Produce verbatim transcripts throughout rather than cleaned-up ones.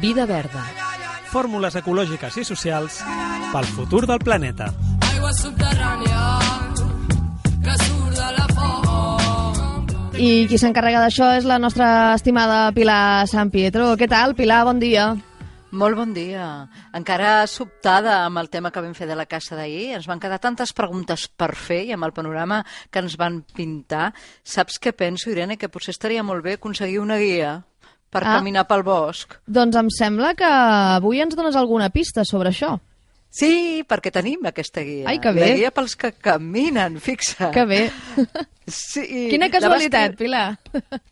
Vida verda. Fórmules ecològiques i socials pel futur del planeta. Aigua subterrània que surt de la font. I qui s'encarrega d'això és la nostra estimada Pilar San Pietro. Què tal, Pilar? Bon dia. Molt bon dia. Encara sobtada amb el tema que vam fer de la caça d'ahir, ens van quedar tantes preguntes per fer i amb el panorama que ens van pintar. Saps què penso, Irene? Que potser estaria molt bé aconseguir una guia per ah, caminar pel bosc. Doncs em sembla que avui ens dones alguna pista sobre això. Sí, perquè tenim aquesta guia. Ai, que bé. La guia pels que caminen, fixa't. Que bé. Sí, quina casualitat, Pilar.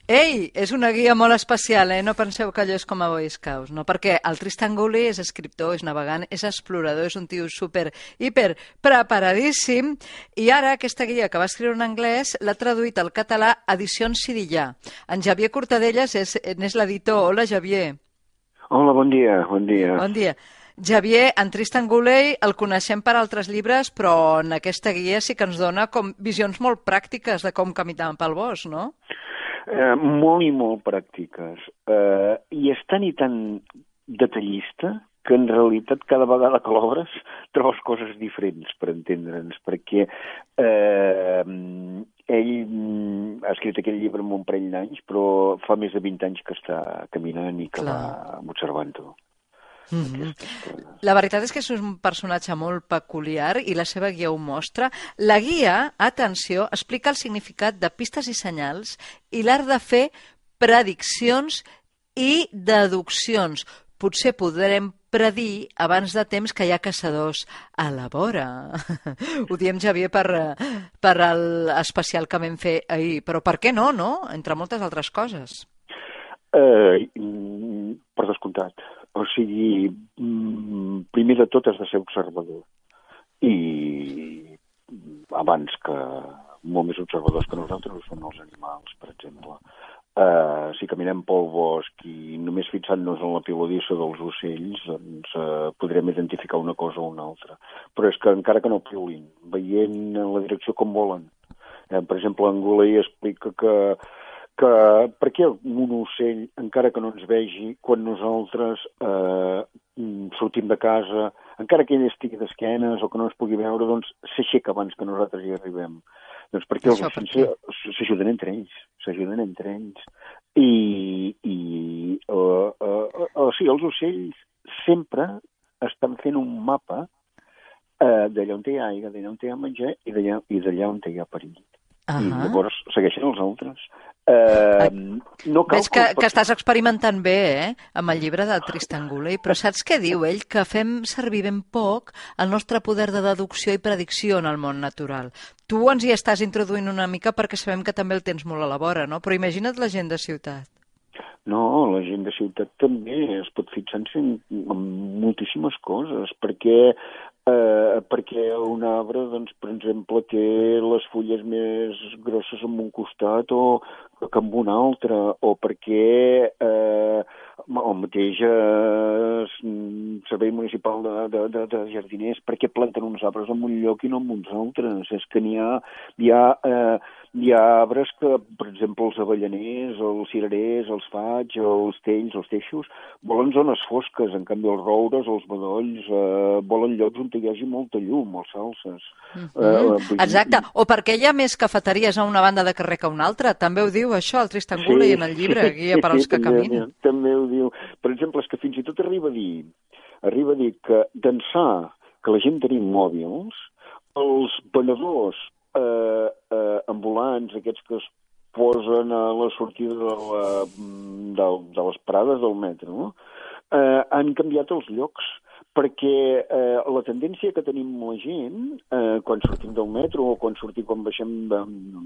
Ei, és una guia molt especial, eh? No penseu que allò és com a Boy Scouts, no? Perquè el Tristan Gooley és escriptor, és navegant, és explorador, és un tio super, hiper preparadíssim, i ara aquesta guia que va escriure en anglès l'ha traduït al català Edicions Sirillà. En Xavier Cortadellas és, és l'editor. Hola, Xavier. Hola, bon dia, bon dia. Bon dia. Xavier, en Tristan Gooley el coneixem per altres llibres, però en aquesta guia sí que ens dona com visions molt pràctiques de com caminar pel bosc, no? Eh, molt i molt pràctiques. Eh, I és tan i tan detallista que en realitat cada vegada que l'obres trobes coses diferents, per entendre'ns, perquè eh, ell ha escrit aquell llibre amb un parell d'anys, però fa més de vint anys que està caminant i que Clar. va observant-ho. Mm-hmm. La veritat és que és un personatge molt peculiar i la seva guia ho mostra. La guia, atenció, explica el significat de pistes i senyals i l'art de fer prediccions i deduccions. Potser podrem predir abans de temps que hi ha caçadors a la vora. Ho diem, Xavier, per, per l'especial que vam fer ahir. Però per què no, no? Entre moltes altres coses. Eh, per descomptat. O sigui, primer de tot has de ser observador. I abans que molt més observadors que nosaltres són els animals, per exemple. Uh, si caminem pel bosc i només fixant-nos en la piuladissa dels ocells, doncs uh, podrem identificar una cosa o una altra. Però és que encara que no piulin, veient en la direcció com volen. Uh, per exemple, en Gooley explica que que per què un ocell, encara que no ens vegi, quan nosaltres eh, sortim de casa, encara que ell estigui d'esquenes o que no ens pugui veure, doncs s'aixeca abans que nosaltres hi arribem. Doncs perquè els ocells s'ajuden entre ells, s'ajuden entre ells. I, i uh, uh, o sigui, els ocells sempre estan fent un mapa uh, d'allà on hi ha aigua, d'allà on hi ha menjar i d'allà, i d'allà on hi ha perill. Uh-huh. I llavors segueixen els altres. Uh, no cal Veig que, que estàs experimentant bé, eh, amb el llibre del Tristan Gooley, però saps què diu ell? Que fem servir ben poc el nostre poder de deducció i predicció en el món natural. Tu ens hi estàs introduint una mica perquè sabem que també el tens molt a la vora, no? Però imagina't la gent de ciutat. No, la gent de ciutat també es pot fixar-se en, en moltíssimes coses, perquè Eh, perquè un arbre, doncs, per exemple, té les fulles més grosses en un costat o que en un altre, o perquè eh, el mateix eh, Servei Municipal de, de, de, de Jardiners, perquè planten uns arbres en un lloc i no en uns altres. És que n'hi ha, hi ha, eh, hi ha arbres que, per exemple, els avellaners, els cirerers, els faigs, els tells, els teixos, volen zones fosques, en canvi els roures, els bedolls, eh, volen llocs on hi hagi molta llum, els salses. Mm-hmm. eh, Exacte, o perquè hi ha més cafeteries a una banda de carrer que a una altra. També ho diu això el Tristan Gooley sí, en el llibre, Guia per als que també, caminen. També ho diu. Per exemple, és que fins i tot arriba a dir, arriba a dir que d'ençà que la gent tenim mòbils, els venedors eh, eh, ambulants, aquests que es posen a la sortida de, la, de, de les parades del metro, eh, han canviat els llocs, perquè eh, la tendència que tenim la gent, eh, quan sortim del metro o quan sortim, quan baixem de,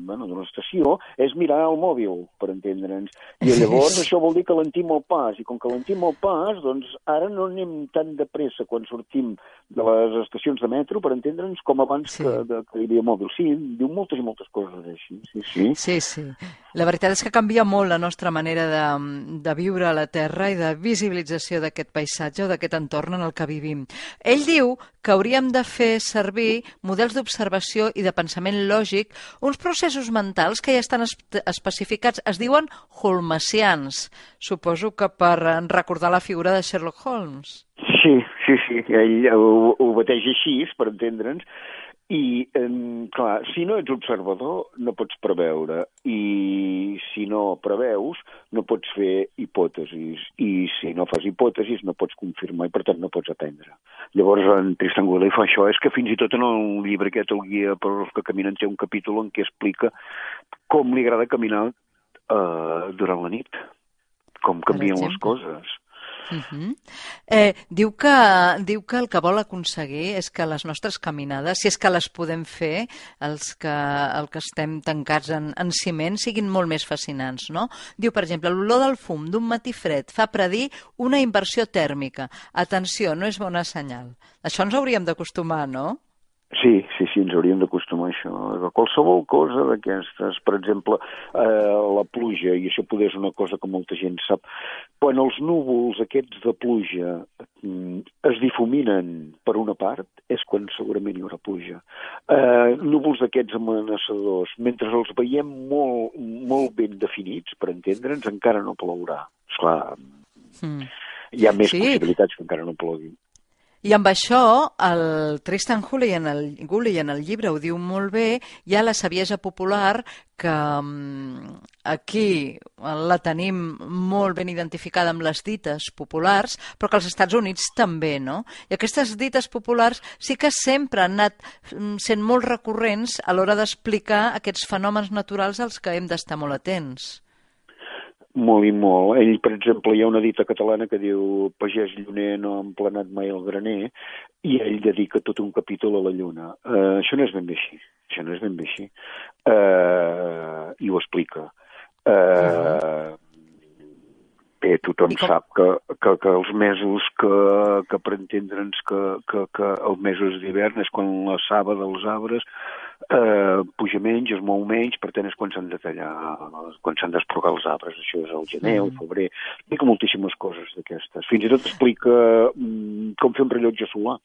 bueno, de l'estació, és mirar el mòbil, per entendre'ns. I llavors això vol dir que alentim el pas, i com que alentim el pas, doncs ara no anem tan de pressa quan sortim de les estacions de metro, per entendre'ns, com abans sí. que, de, que hi havia mòbil. Sí, diu moltes i moltes coses així. Sí, sí. Sí, sí. La veritat és que canvia molt la nostra manera de, de viure a la Terra i de visibilització d'aquest paisatge o d'aquest entorn en el que vivim. vivim. Ell diu que hauríem de fer servir models d'observació i de pensament lògic, uns processos mentals que ja estan espe- especificats, es diuen holmesians. Suposo que per recordar la figura de Sherlock Holmes. Sí, sí, sí, ell ho, ho bateja així, per entendre'ns, i, eh, clar, si no ets observador no pots preveure, i si no preveus no pots fer hipòtesis, i si no fas hipòtesis no pots confirmar i per tant no pots aprendre. Llavors en Tristan Whaley fa això, és que fins i tot en el llibre aquest, el guia per als que caminen, té un capítol en què explica com li agrada caminar eh, durant la nit, com canvien les coses. Uh-huh. eh, diu, que, diu que el que vol aconseguir és que les nostres caminades, si és que les podem fer, els que, el que estem tancats en, en ciment, siguin molt més fascinants, no? Diu, per exemple, l'olor del fum d'un matí fred fa predir una inversió tèrmica. Atenció, no és bona senyal. Això ens hauríem d'acostumar, no? Sí, sí, sí, ens hauríem d'acostumar a això. A qualsevol cosa d'aquestes, per exemple, eh, la pluja, i això poder és una cosa que molta gent sap, quan els núvols aquests de pluja mm, es difuminen per una part, és quan segurament hi haurà pluja. Eh, núvols d'aquests amenaçadors, mentre els veiem molt, molt ben definits, per entendre'ns, encara no plourà. Esclar, mm. hi ha més sí. possibilitats que encara no plogui. I amb això, el Tristan Whaley en el, Whaley en el llibre ho diu molt bé, hi ha la saviesa popular que um, aquí la tenim molt ben identificada amb les dites populars, però que als Estats Units també, no? I aquestes dites populars sí que sempre han anat sent molt recurrents a l'hora d'explicar aquests fenòmens naturals als que hem d'estar molt atents. Molt i molt. Ell, per exemple, hi ha una dita catalana que diu pagès lluner no ha emplenat mai el graner, i ell dedica tot un capítol a la lluna. Uh, això no és ben bé així. Això no és ben bé així. Uh, I ho explica. Uh, bé, tothom sap que, que, que els mesos que, que per entendre'ns que, que, que els mesos d'hivern és quan la saba dels arbres eh, puja menys, es mou menys, per tant és quan s'han de tallar, quan s'han d'esporgar els arbres. Això és el gener, el febrer, explica moltíssimes coses d'aquestes. Fins i tot explica mm, com fer un rellotge solar.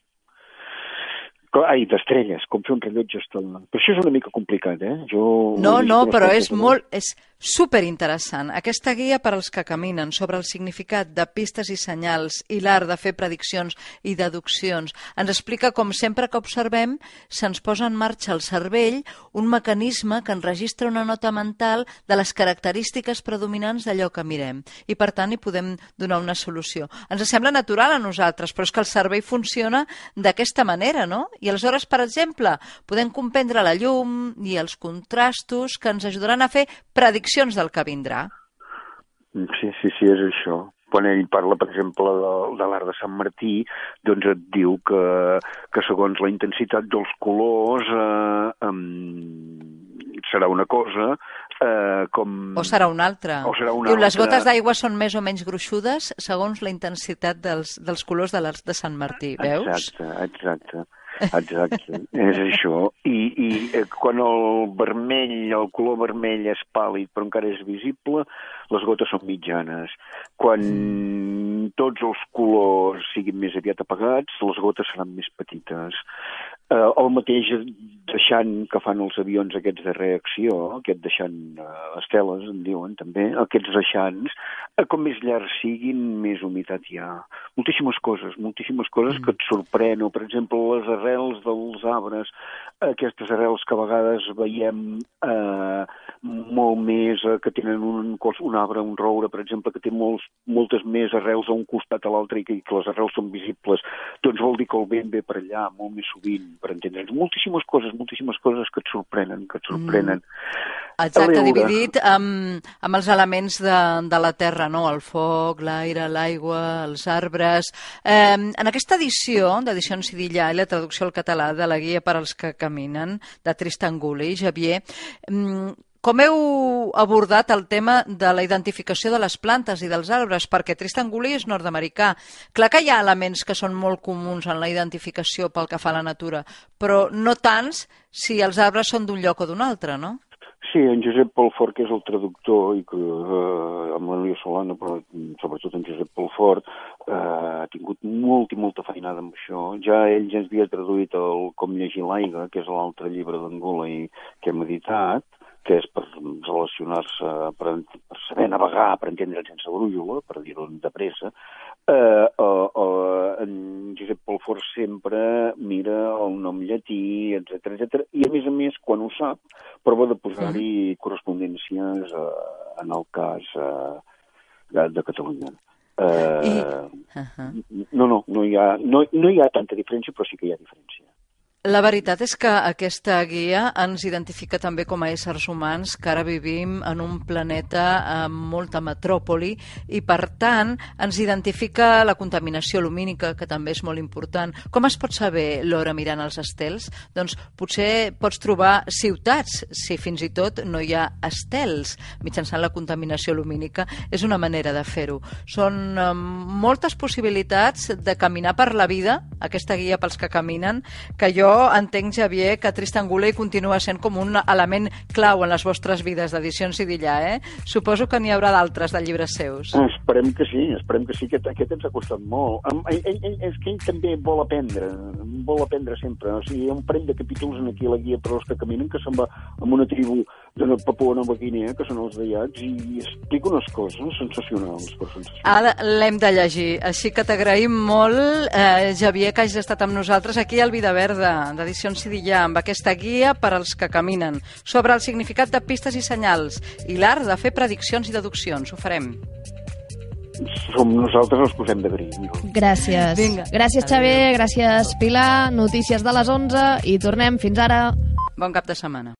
Ai, d'estrelles, com fer un rellotge estel·lar. Però això és una mica complicat, eh? Jo no, no, però és molt... És superinteressant. Aquesta guia per als que caminen sobre el significat de pistes i senyals i l'art de fer prediccions i deduccions ens explica com sempre que observem se'ns posa en marxa al cervell un mecanisme que enregistra una nota mental de les característiques predominants d'allò que mirem i per tant hi podem donar una solució. Ens sembla natural a nosaltres, però és que el cervell funciona d'aquesta manera, no? I aleshores, per exemple, podem comprendre la llum i els contrastos que ens ajudaran a fer prediccions del que vindrà. Sí, sí, sí, és això. Quan ell parla, per exemple, de, de l'art de Sant Martí, doncs et diu que, que segons la intensitat dels colors eh, um, serà una cosa, eh, com... O serà una altra. O serà una diu, altra. Les gotes d'aigua són més o menys gruixudes segons la intensitat dels, dels colors de l'art de Sant Martí, veus? Exacte, exacte. Exacte, és això. I, i eh, quan el vermell, el color vermell és pàl·lid però encara és visible, les gotes són mitjanes. Quan tots els colors siguin més aviat apagats, les gotes seran més petites. Eh, el mateix deixant que fan els avions aquests de reacció, aquest deixant eh, esteles, en diuen també, aquests deixants, eh, com més llargs siguin, més humitat hi ha. Moltíssimes coses, moltíssimes coses que et sorprenen. Per exemple, les arrels dels arbres, aquestes arrels que a vegades veiem eh, molt més, eh, que tenen un, un arbre, un roure, per exemple, que té molts, moltes més arrels a un costat a l'altre i que, que les arrels són visibles, doncs vol dir que el vent ve per allà molt més sovint, per entendre'ns. Moltíssimes coses, moltíssimes coses que et sorprenen, que et sorprenen. Mm. Exacte, dividit amb, amb els elements de, de la terra, no? El foc, l'aire, l'aigua, els arbres. Eh, en aquesta edició, d'edició en Sidilla i la traducció al català de la guia per als que caminen, de Tristan Whaley, Xavier, eh, com heu abordat el tema de la identificació de les plantes i dels arbres? Perquè Tristan Whaley és nord-americà. Clar que hi ha elements que són molt comuns en la identificació pel que fa a la natura, però no tants si els arbres són d'un lloc o d'un altre, no? Sí, en Josep Pelfort, que és el traductor, i que eh, amb l'Elia Solana, però sobretot en Josep Pelfort, eh, tingut molt i molta feinada amb això. Ja ell ja ens havia traduït el Com llegir l'aigua, que és l'altre llibre d'Angola i que hem editat, que és per relacionar-se, per, per saber navegar, per entendre sense brújula, per dir-ho de pressa. Eh, eh, eh, en Josep Pelfort sempre mira el nom llatí, etcètera, etcètera, i a més a més, quan ho sap, prova de posar-hi correspondències eh, en el cas eh, de, de Catalunya. Eh, I... Uh -huh. No, no, no hi, ha, no, no hi ha tanta diferència, però sí que hi ha diferència. La veritat és que aquesta guia ens identifica també com a éssers humans que ara vivim en un planeta amb molta metròpoli i, per tant, ens identifica la contaminació lumínica, que també és molt important. Com es pot saber l'hora mirant els estels? Doncs potser pots trobar ciutats, si fins i tot no hi ha estels, mitjançant la contaminació lumínica. És una manera de fer-ho. Són um, moltes possibilitats de caminar per la vida, aquesta guia pels que caminen, que jo entenc, Xavier, que Tristan Guley continua sent com un element clau en les vostres vides d'Edicions Idillà, eh? Suposo que n'hi haurà d'altres de llibres seus. Esperem que sí, esperem que sí, que aquest ens ha costat molt. Ell, ell, ell, és que ell també vol aprendre, vol aprendre sempre. O sigui, hi ha un parell de capítols en aquí a la guia per als que caminen que se'n va amb una tribu de Papua Nova Guinea, que són els deiats, i explica unes coses sensacionals. Però sensacionals. Ara l'hem de llegir, així que t'agraïm molt, eh, Xavier, que hagis estat amb nosaltres aquí al Vida Verda, d'Edicions Idillà, amb aquesta guia per als que caminen, sobre el significat de pistes i senyals i l'art de fer prediccions i deduccions. Ho farem. Som nosaltres els que us hem d'agrair. Gràcies. Vinga. Gràcies, Xavier, gràcies, Pilar. Notícies de les onze i tornem. Fins ara. Bon cap de setmana.